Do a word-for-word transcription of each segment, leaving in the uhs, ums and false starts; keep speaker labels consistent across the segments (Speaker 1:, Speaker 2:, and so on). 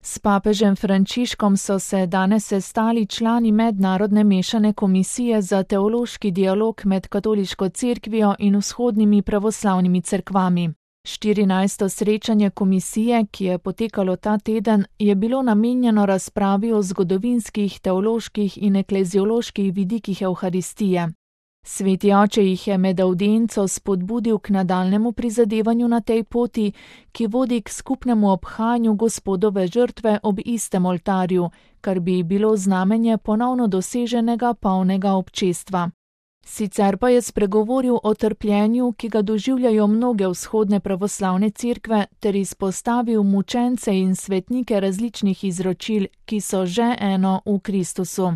Speaker 1: S papežem Frančiškom so se danes sestali člani Mednarodne mešane komisije za teološki dialog med katoliško cerkvijo in vzhodnimi pravoslavnimi cerkvami. štirinajsto srečanje komisije, ki je potekalo ta teden, je bilo namenjeno razpravi o zgodovinskih, teoloških in eklezioloških vidikih evharistije. Sveti oče jih je med avdienco spodbudil k nadaljnemu prizadevanju na tej poti, ki vodi k skupnemu obhajanju Gospodove žrtve ob istem oltarju, kar bi bilo znamenje ponovno doseženega polnega občestva. Sicer pa je spregovoril o trpljenju, ki ga doživljajo mnoge vzhodne pravoslavne cerkve, ter izpostavil mučence in svetnike različnih izročil, ki so že eno v Kristusu.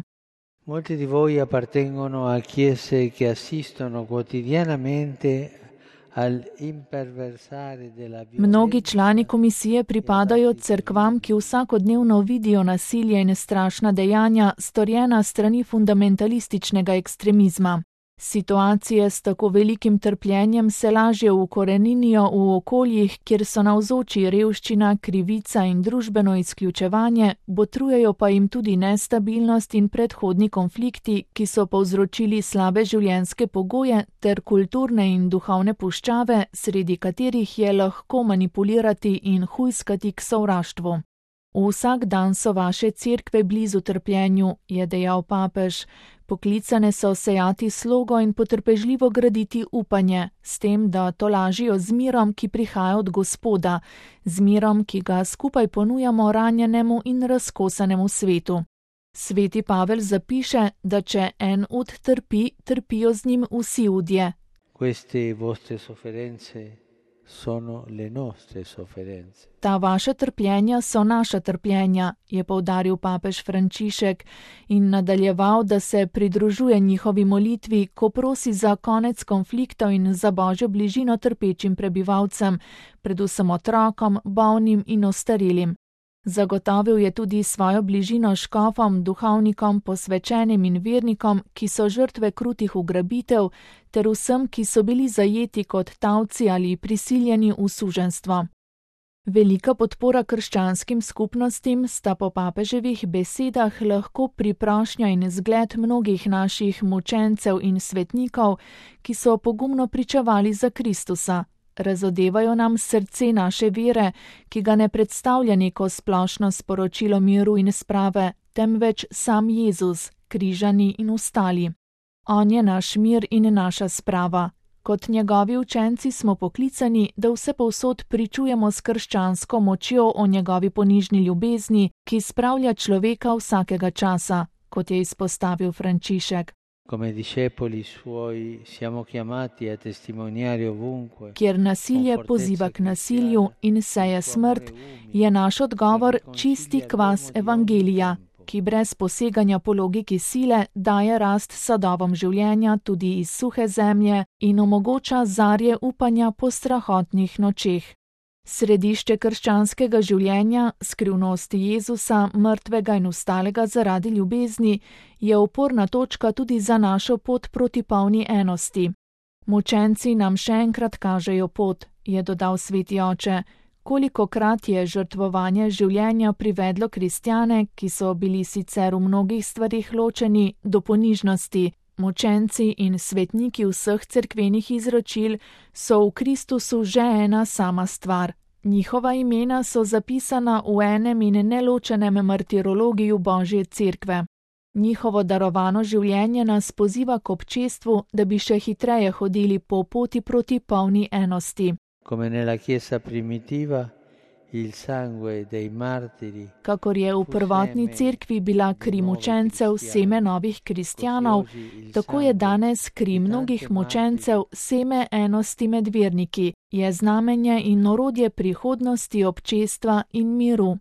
Speaker 2: Molti di voi appartengono a chiese che assistono quotidianamente al imperversare della violenza.
Speaker 1: Mnogi člani komisije pripadajo cerkvam, ki vsakodnevno vidijo nasilje in strašna dejanja, storjena strani fundamentalističnega ekstremizma. Situacije s tako velikim trpljenjem se lažje ukoreninijo v okoljih, kjer so navzoči revščina, krivica in družbeno izključevanje, botrujejo pa jim tudi nestabilnost in predhodni konflikti, ki so povzročili slabe življenjske pogoje ter kulturne in duhovne puščave, sredi katerih je lahko manipulirati in hujskati k sovraštvu. Vsak dan so vaše cerkve blizu trpljenju, je dejal papež. Poklicane so sejati slogo in potrpežljivo graditi upanje, s tem, da tolažijo z mirom, ki prihaja od Gospoda, z mirom, ki ga skupaj ponujamo ranjenemu in razkosanemu svetu. Sveti Pavel zapiše, da če en ud trpi, trpijo z njim vsi udje.
Speaker 2: Queste vostre sofferenze sono le nostre sofferenze.
Speaker 1: Ta vaša trpljenja so naša trpljenja, je poudaril papež Frančišek in nadaljeval, da se pridružuje njihovi molitvi, ko prosi za konec konfliktov in za božjo bližino trpečim prebivalcem, predvsem otrokom, bolnim in ostarelim. Zagotovil je tudi svojo bližino škofom, duhovnikom, posvečenim in vernikom, ki so žrtve krutih ugrabitev, ter vsem, ki so bili zajeti kot tavci ali prisiljeni v suženjstvo. Velika podpora krščanskim skupnostim sta po papeževih besedah lahko priprošnja in zgled mnogih naših mučencev in svetnikov, ki so pogumno pričevali za Kristusa. Razodevajo nam srce naše vere, ki ga ne predstavlja neko splošno sporočilo miru in sprave, temveč sam Jezus, križani in ostali. On je naš mir in naša sprava. Kot njegovi učenci smo poklicani, da vse povsod pričujemo s krščansko močjo o njegovi ponižni ljubezni, ki spravlja človeka vsakega časa, kot je izpostavil Frančišek.
Speaker 2: Come discepoli suoi siamo chiamati a testimoniare ovunque.
Speaker 1: Kjer nasilje poziva k nasilju in seje smrt, je naš odgovor čisti kvas evangelija, ki brez poseganja po logiki sile daje rast sadovom življenja tudi iz suhe zemlje in omogoča zarje upanja po strahotnih nočeh. Središče krščanskega življenja, skrivnost Jezusa, mrtvega in vstalega zaradi ljubezni, je oporna točka tudi za našo pot proti polni enosti. Mučenci nam še enkrat kažejo pot, je dodal sveti oče. Kolikokrat je žrtvovanje življenja privedlo kristjane, ki so bili sicer v mnogih stvarih ločeni, do ponižnosti. Mučenci in svetniki vseh cerkvenih izročil so v Kristusu že ena sama stvar. Njihova imena so zapisana v enem in neločenem martirologiju Božje cerkve. Njihovo darovano življenje nas poziva k občestvu, da bi še hitreje hodili po poti proti polni enosti.
Speaker 2: Come nella Chiesa primitiva, il sangue dei martiri.
Speaker 1: Kakor je v prvotni cerkvi bila kri mučencev seme novih kristjanov, tako je danes kri mnogih mučencev seme enosti med verniki, je znamenje in orodje prihodnosti občestva in miru.